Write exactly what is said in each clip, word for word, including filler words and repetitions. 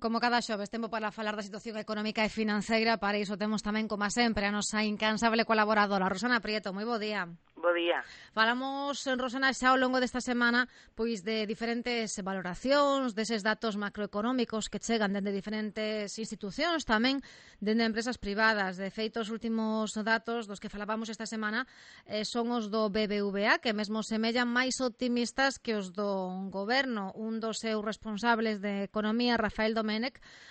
Como cada xoves, tempo para falar da situación económica e financeira. Para iso temos tamén, como sempre, a nosa incansable colaboradora, Rosana Prieto. Moi bo día. Bo día. Falamos, Rosana, xa ao longo desta semana pois de diferentes valoracións, deses datos macroeconómicos que chegan dende diferentes institucións, tamén dende empresas privadas. De feito, os últimos datos dos que falábamos esta semana eh, son os do B B V A, que mesmo semellan máis optimistas que os do goberno. Un dos seus responsables de Economía, Rafael Domènech,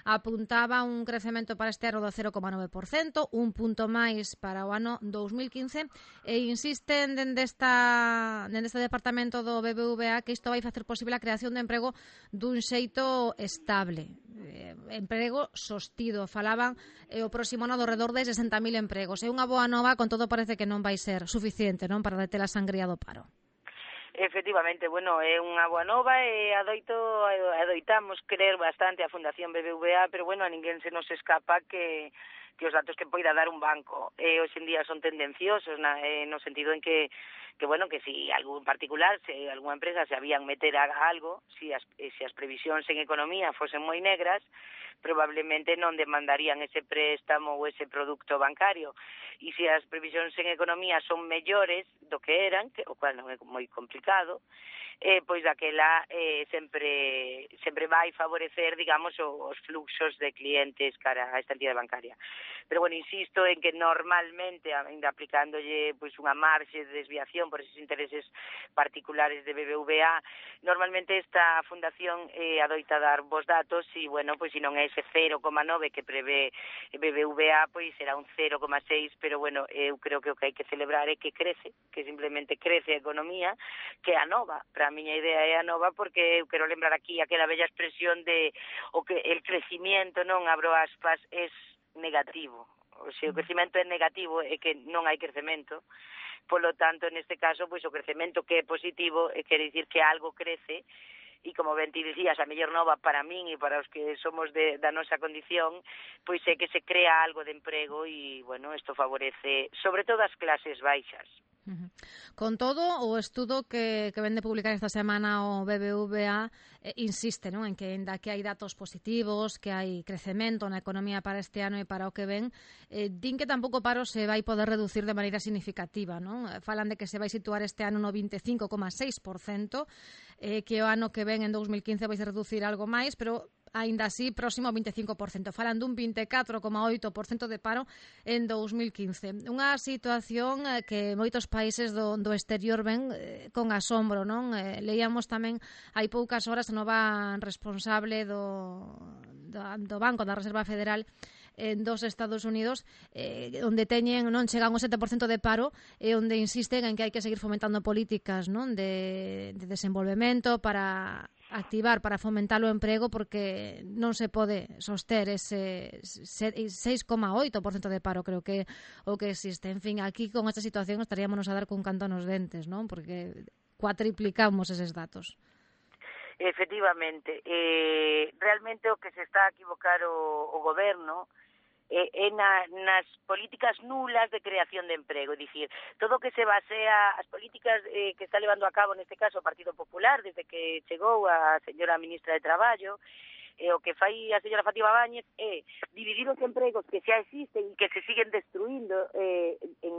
apuntaba un crecemento para este ano do cero coma nove por cento, un punto máis para o ano dous mil quince, e insisten dende, esta, dende este departamento do B B V A que isto vai facer posible a creación de emprego dun xeito estable. Eh, emprego sostido. Falaban eh, o próximo ano do redor de sesenta mil empregos. É unha boa nova, con todo parece que non vai ser suficiente, non, para deter a sangría do paro. Efectivamente, bueno, é unha boa nova e adoito, adoitamos creer bastante a Fundación B B V A, pero bueno, a ninguén se nos escapa que que os datos que poida dar un banco eh, hoxe en día son tendenciosos na, eh, no sentido en que que bueno, que si algún particular, se algunha empresa se habían meter a algo, si as, se as previsións en economía fosen moi negras, probablemente non demandarían ese préstamo ou ese produto bancario. E se as previsións en economía son mellores do que eran, que, o cual non é moi complicado, eh, pois daquela eh, sempre sempre vai favorecer, digamos, os fluxos de clientes cara a esta entidade bancaria. Pero, bueno, insisto en que normalmente, ainda aplicándolle pois unha marxe de desviación por esos intereses particulares de B B V A, normalmente esta fundación eh, adoita dar vos datos e, bueno, pois se non é ese cero coma nove que prevé B B V A, pois será un cero coma seis, pero, bueno, eu creo que o que hai que celebrar é que crece, que simplemente crece a economía, que é a nova. Para a miña idea é a nova, porque eu quero lembrar aquí aquela bella expresión de o que el crecimiento, non abro aspas, es negativo. O sea, o crecimento é negativo e que non hai crecemento. Polo tanto, neste caso, pois o crecemento que é positivo e quere dicir que algo crece. E como ben ti dicías, a mellor nova para min e para os que somos de, da nosa condición, pois é que se crea algo de emprego e, bueno, isto favorece sobre todo as clases baixas. Uh-huh. Con todo, o estudo que, que ven de publicar esta semana o B B V A eh, insiste, non, en que ainda que hai datos positivos, que hai crecemento na economía para este ano e para o que ven, eh, din que tampouco o paro se vai poder reducir de maneira significativa, non? Falan de que se vai situar este ano no vinte e cinco coma seis por cento, eh, que o ano que ven en dous mil quince vai se reducir algo máis, pero aínda así próximo ao vinte e cinco por cento. Falan dun vinte e catro coma oito por cento de paro en dous mil quince. Unha situación eh, que moitos países do, do exterior ven eh, con asombro, non? Eh, leíamos tamén hai poucas horas a nova responsable do, do, do Banco da Reserva Federal en dos Estados Unidos, eh, onde teñen, non chegan ao sete por cento de paro e onde insisten en que hai que seguir fomentando políticas, non, de, de desenvolvemento para activar, para fomentar o emprego, porque non se pode soster ese seis coma oito por cento de paro, creo que o que existe. En fin, aquí con esta situación estaríamos a dar cun canto nos dentes, non? Porque cuatriplicamos eses datos. Efectivamente, eh, realmente o que se está a equivocar o, o goberno é, é na, nas políticas nulas de creación de emprego, é dicir, todo o que se basea, as políticas eh, que está levando a cabo neste caso o Partido Popular desde que chegou a señora ministra de Traballo, e o que fai a señora Fátima Báñez é dividir os empregos que xa existen e que se siguen destruindo eh, en,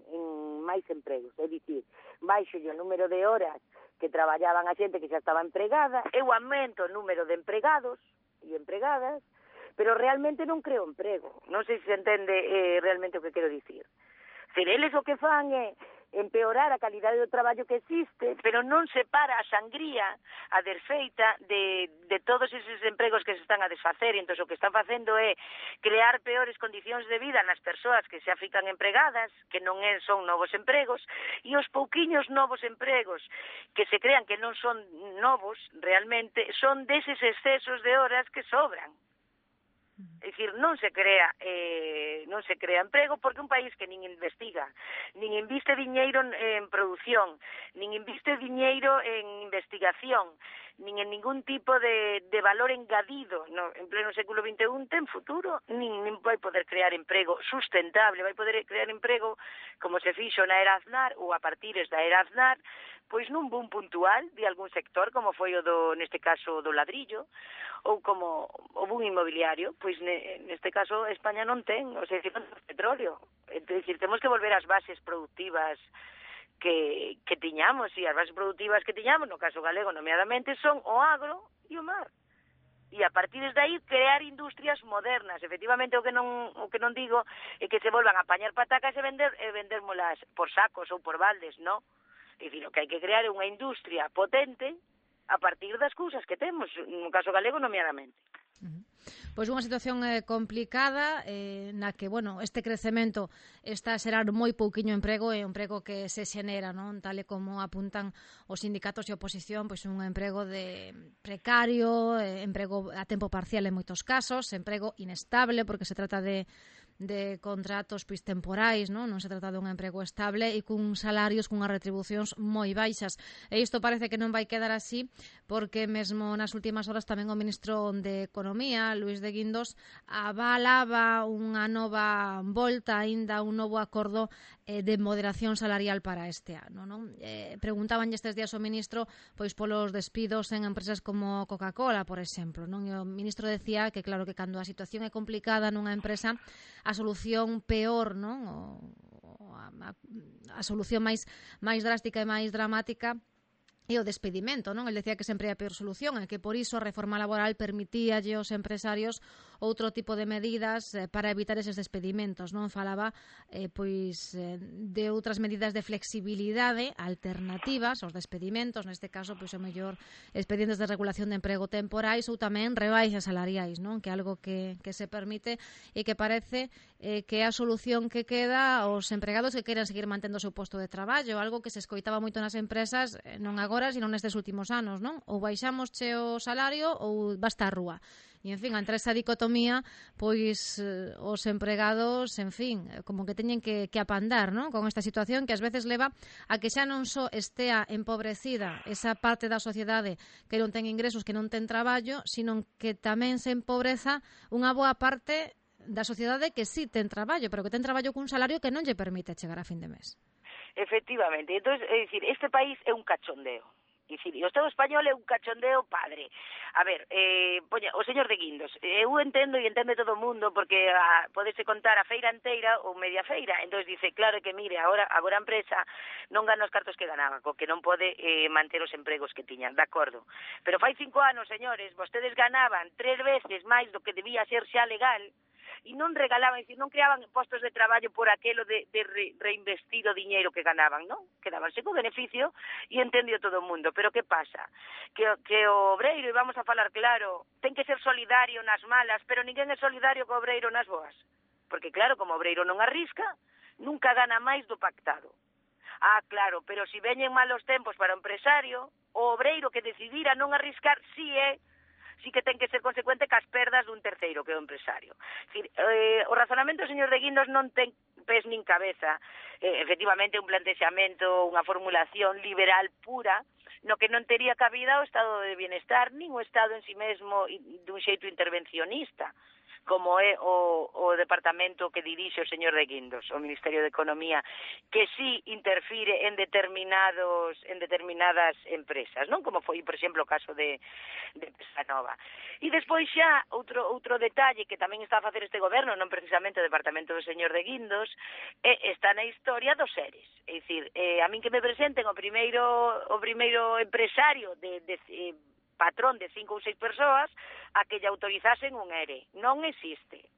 en máis empregos, é dicir, baixo o número de horas que traballaban a xente que xa estaba empregada, eu aumento o número de empregados e empregadas, pero realmente non creo emprego. Non sei se se entende eh, realmente o que quero dicir. Ser eles o que fan é empeorar a calidade do traballo que existe, pero non se para a sangría, a desfeita de, de todos eses empregos que se están a desfacer. Entón, o que están facendo é crear peores condicións de vida nas persoas que xa fican empregadas, que non é, son novos empregos, e os pouquiños novos empregos que se crean que non son novos realmente, son deses excesos de horas que sobran. É dicir, non se crea eh, non se crea emprego porque un país que nin investiga, nin inviste diñeiro en produción, nin inviste diñeiro en investigación, nin en ningún tipo de, de valor engadido no, en pleno século vinte e un ten futuro, nin, nin vai poder crear emprego sustentable, vai poder crear emprego como se fixo na era Aznar ou a partires da era Aznar, pois nun boom puntual de algún sector, como foi o do, neste caso, do ladrillo, ou como o boom inmobiliario, pois ne, neste caso España non ten, o sea, non ten petróleo. É dicir, temos que volver ás bases productivas que, que tiñamos, e as bases productivas que tiñamos, no caso galego nomeadamente, son o agro e o mar. E a partir de aí crear industrias modernas. Efectivamente, o que non o que non digo é que se volvan a apañar patacas e vender e vendérmolas por sacos ou por baldes, non? É dicir, o que hai que crear é unha industria potente a partir das cousas que temos, no caso galego nomeadamente. Uh-huh. Pois unha situación eh, complicada eh, na que, bueno, este crecemento está a xerar moi pouquiño emprego, e un emprego que se xenera, non? Tal e como apuntan os sindicatos e oposición, pois un emprego de precario, eh, emprego a tempo parcial en moitos casos, emprego inestable porque se trata de de contratos pois temporais, non? Non se trata dun emprego estable e cun salarios, cunhas retribucións moi baixas. E isto parece que non vai quedar así, porque mesmo nas últimas horas tamén o ministro de Economía, Luís de Guindos, avalaba unha nova volta, aínda un novo acordo eh, de moderación salarial para este ano, non? Eh, preguntaban estes días o ministro pois polos despidos en empresas como Coca-Cola, por exemplo, non? E o ministro decía que claro que cando a situación é complicada nunha empresa, a solución peor, non? O, o a, a solución máis máis drástica e máis dramática e o despedimento, non? El decía que sempre é a peor solución, e que por iso a reforma laboral permitíalle aos empresarios outro tipo de medidas eh, para evitar eses despedimentos, non? Falaba eh, pois eh, de outras medidas de flexibilidade alternativas aos despedimentos, neste caso pois o mellor expedientes de regulación de emprego temporais ou tamén rebaixas salariais, non? Que é algo que, que se permite e que parece eh, que é a solución que queda aos empregados que queiran seguir mantendo o seu posto de traballo, algo que se escoitaba moito nas empresas, eh, non agora, sino nestes últimos anos, non? Ou baixamos che o salario ou basta a rúa. E, en fin, entre esa dicotomía, pois eh, os empregados, en fin, como que teñen que, que apandar, non? Con esta situación que ás veces leva a que xa non só estea empobrecida esa parte da sociedade que non ten ingresos, que non ten traballo, sino que tamén se empobreza unha boa parte da sociedade que sí ten traballo, pero que ten traballo cun salario que non lle permite chegar a fin de mes. Efectivamente, entonces, é dicir, este país é un cachondeo. É dicir, o Estado español é un cachondeo padre. A ver, eh, poña, o señor de Guindos, eu entendo e entende todo o mundo, porque a, podese contar a feira enteira ou media feira, entonces dice, claro que mire, agora, agora a empresa non gana os cartos que ganaba, co que non pode eh, manter os empregos que tiñan, de acordo. Pero fai cinco anos, señores, vostedes ganaban tres veces máis do que debía ser xa legal, e non regalaban, dicir, non creaban postos de traballo por aquelo de, de re, reinvestir o diñeiro que ganaban, non? Quedabanse co beneficio e entendió todo o mundo. Pero que pasa? Que, que o obreiro, e vamos a falar claro, ten que ser solidario nas malas, pero ninguén é solidario co obreiro nas boas. Porque claro, como o obreiro non arrisca, nunca gana máis do pactado. Ah, claro, pero se veñen malos tempos para o empresario, o obreiro que decidira non arriscar, si é sí que ten que ser consecuente cas perdas dun terceiro, que é o empresario. Decir, eh, o razonamento do señor de Guindos non ten pés nin cabeza. Eh, efectivamente, un plantexamento, unha formulación liberal pura, no que non tería cabida o estado de bienestar, nin o estado en si mesmo dun xeito intervencionista, como é o, o departamento que dirixe o señor de Guindos, o Ministerio de Economía, que sí interfire en determinados en determinadas empresas, non? Como foi, por exemplo, o caso de, de Pesanova. E despois xa, outro outro detalle que tamén está a facer este goberno, non precisamente o departamento do señor de Guindos, é, está na historia dos seres. É dicir, eh, a min que me presenten o primeiro o primeiro empresario de, de eh, patrón de cinco ou seis persoas a que lle autorizasen un E R E. Non existe.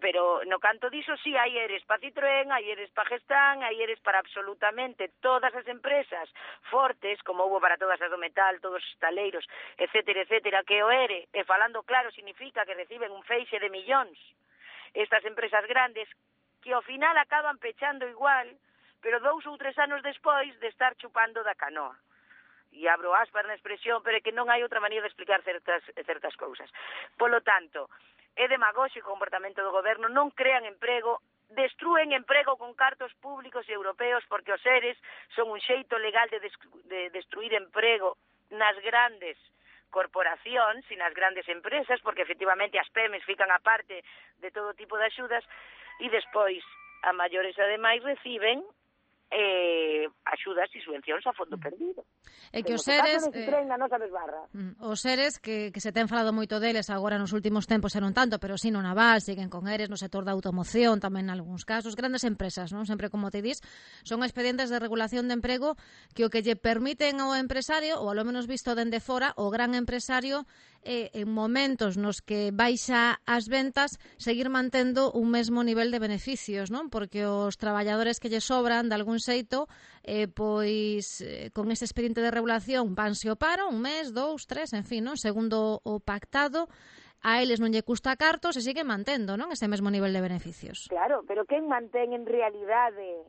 Pero no canto diso, sí, hai E R Es para Citroën, hai E R Es para Gestamp, hai E R Es para absolutamente todas as empresas fortes, como houve para todas as do metal, todos os taleiros, etcétera, etcétera, que o E R E, e falando claro, significa que reciben un feixe de millóns estas empresas grandes, que ao final acaban pechando igual, pero dous ou tres anos despois de estar chupando da canoa. E abro aspas na expresión, pero é que non hai outra maneira de explicar certas, certas cousas. Polo tanto, é demagóxico o comportamento do goberno, non crean emprego, destrúen emprego con cartos públicos e europeos, porque os seres son un xeito legal de, de destruir emprego nas grandes corporacións e nas grandes empresas, porque efectivamente as P E M Es fican a parte de todo tipo de axudas, e despois, a maiores ademais reciben eh, axudas e subvencións a fondo perdido. É que os seres seres eh, na nosa desbarra. Os seres que, que se ten falado moito deles agora nos últimos tempos e non tanto, pero si no naval, siguen con eres no sector da automoción, tamén en algúns casos, grandes empresas, non? Sempre como te dis, son expedientes de regulación de emprego que o que lle permiten ao empresario, ou ao menos visto dende fora, o gran empresario eh, en momentos nos que baixa as ventas, seguir mantendo un mesmo nivel de beneficios, non? Porque os traballadores que lle sobran de algún xeito, eh, pois eh, con ese expediente de regulación vanse o paro, un mes, dous, tres, en fin, non? Segundo o pactado, a eles non lle custa cartos e sigue mantendo, non? Ese mesmo nivel de beneficios. Claro, pero quen mantén en realidade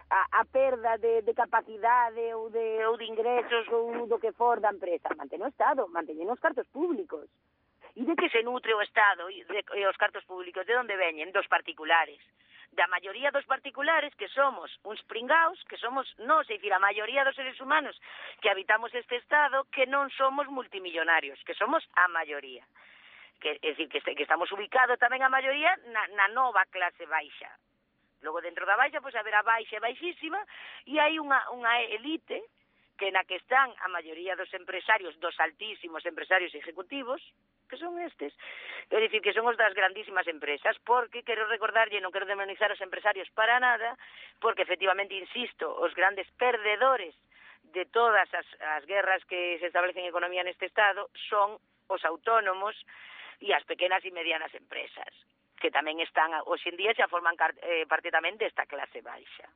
a, a perda de, de capacidade ou de, ou de ingresos ou do que for da empresa? Mantén o Estado, mantén os cartos públicos. E de que se nutre o Estado e, de, e os cartos públicos? De onde veñen? Dos particulares. Da maioría dos particulares, que somos uns pringaos, que somos nós, é dicir, a maioría dos seres humanos que habitamos este Estado, que non somos multimillonarios, que somos a maioría. Que, é dicir, que, que estamos ubicados tamén a maioría na, na nova clase baixa. Logo, dentro da baixa, pois, haberá baixa e baixísima, e hai unha, unha elite que na que están a maioría dos empresarios, dos altísimos empresarios ejecutivos, que son estes, é dicir, que son os das grandísimas empresas, porque quero recordarlle, non quero demonizar os empresarios para nada, porque efectivamente, insisto, os grandes perdedores de todas as, as guerras que se establecen en economía neste Estado son os autónomos e as pequenas e medianas empresas, que tamén están, hoxe en día, xa forman eh, parte tamén desta clase baixa.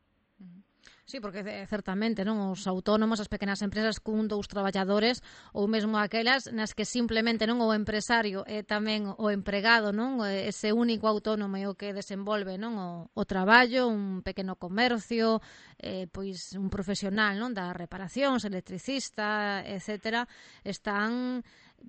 Sí, porque certamente, non, os autónomos, as pequenas empresas cun dous traballadores ou mesmo aquelas nas que simplemente non o empresario é tamén o empregado, non, ese único autónomo é o que desenvolve, non, o, o traballo, un pequeno comercio, eh, pois un profesional, non, da reparación, electricista, etcétera, están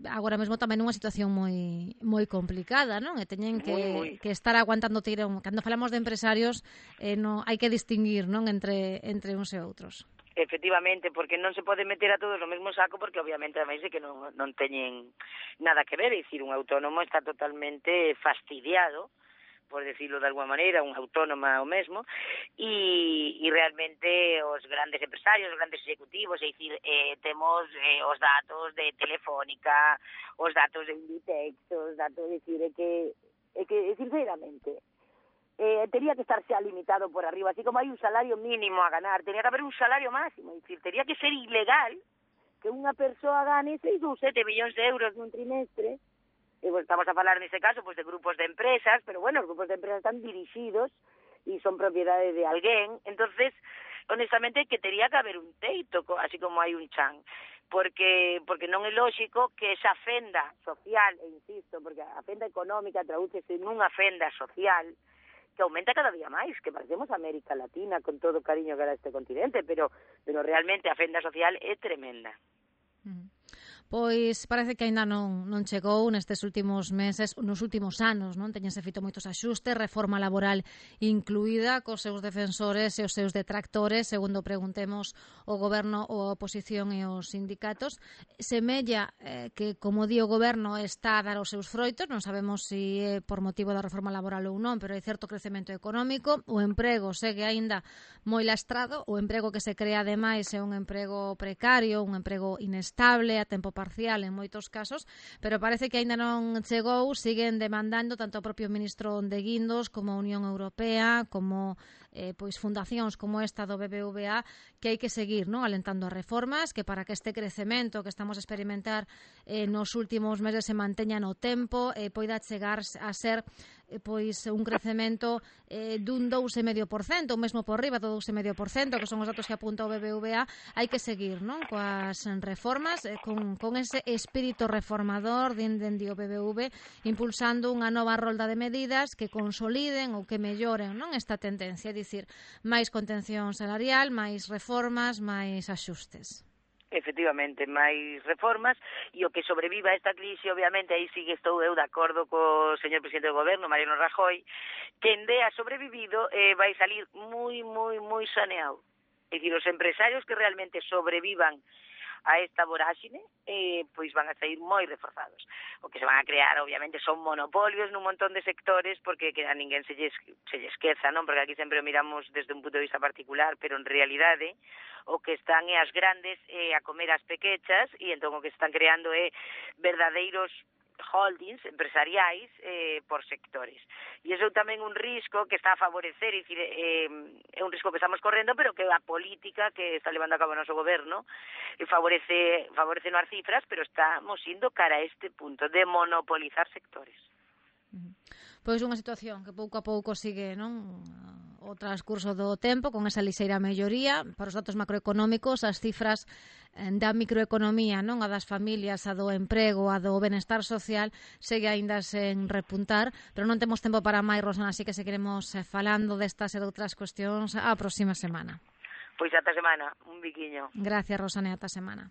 agora mesmo tamén nunha situación moi moi complicada, non? E teñen que, muy, muy. que estar aguantando tirón. Cando falamos de empresarios, eh, no, hai que distinguir, non, entre entre uns e outros. Efectivamente, porque non se pode meter a todos no mesmo saco, porque obviamente ademais é que non, non teñen nada que ver, é dicir, un autónomo está totalmente fastidiado, por decirlo de alguma maneira, un autónoma o mesmo, e, e realmente os grandes empresarios, os grandes executivos, é dicir, eh, temos eh, os datos de Telefónica, os datos de Inditex, os datos, é dicir, é que, é que sinceramente, eh, tería que estar xa limitado por arriba, así como hai un salario mínimo a ganar, tería que haber un salario máximo, é dicir, tería que ser ilegal que unha persoa gane seis ou sete millóns de euros nun trimestre. E, pues, estamos a falar nese caso pues, de grupos de empresas, pero bueno, os grupos de empresas están dirixidos e son propiedade de alguén, entonces, honestamente, que tería que haber un teito, así como hai un chan, porque porque non é lóxico que esa fenda social, e insisto, porque a fenda económica tradúcese nunha fenda social que aumenta cada día máis, que parecemos América Latina, con todo o cariño que era este continente, pero, pero realmente a fenda social é tremenda. Mm. Pois parece que aínda non, non chegou nestes últimos meses, nos últimos anos, non? Teñense feito moitos axustes, reforma laboral incluída, cos seus defensores e os seus detractores, segundo preguntemos o Goberno, a oposición e os sindicatos. Semella eh, que, como di o Goberno, está a dar os seus froitos, non sabemos se é por motivo da reforma laboral ou non, pero hai certo crecemento económico, o emprego segue aínda moi lastrado, o emprego que se crea ademais é un emprego precario, un emprego inestable, a tempo parcial en moitos casos, pero parece que aínda non chegou, siguen demandando tanto o propio ministro de Guindos como a Unión Europea, como eh, pois fundacións como esta do B B V A, que hai que seguir, non, alentando as reformas, que para que este crecemento que estamos a experimentar eh, nos últimos meses se manteña no tempo, eh, poida chegar a ser eh, pois un crecemento eh, dun dous vírgula cinco por cento, ou mesmo por riba do dous vírgula cinco por cento, que son os datos que apunta o B B V A, hai que seguir, non, coas reformas, eh, con, con ese espírito reformador dende o B B V, impulsando unha nova rolda de medidas que consoliden ou que melloren, non, esta tendencia, é dicir, máis contención salarial, máis reformas, máis axustes. Efectivamente, máis reformas, e o que sobreviva a esta crise, obviamente, aí sí que estou eu de acordo co señor presidente do Goberno, Mariano Rajoy, que en dea sobrevivido eh, vai salir moi, moi, moi saneado. É dicir, os empresarios que realmente sobrevivan a esta voráxine, eh, pois van a sair moi reforzados. O que se van a crear, obviamente, son monopolios nun montón de sectores, porque que a ninguén se lle, se lle esqueza, non? Porque aquí sempre o miramos desde un punto de vista particular, pero en realidade o que están é as grandes eh, a comer as pequechas, e entón o que están creando é verdadeiros holdings empresariais eh, por sectores. E iso é tamén un risco que está a favorecer, é, dicir, eh, é un risco que estamos correndo, pero que a política que está levando a cabo o noso goberno eh, favorece, favorece as cifras, pero estamos indo cara a este punto de monopolizar sectores. Pois unha situación que pouco a pouco sigue, non? O transcurso do tempo, con esa lixeira melloría, para os datos macroeconómicos, as cifras da microeconomía, non? A das familias, a do emprego, a do benestar social, segue aínda sen repuntar, pero non temos tempo para máis, Rosana, así que seguiremos falando destas e de outras cuestións a próxima semana. Pois ata semana, un biquiño. Gracias, Rosana, ata semana.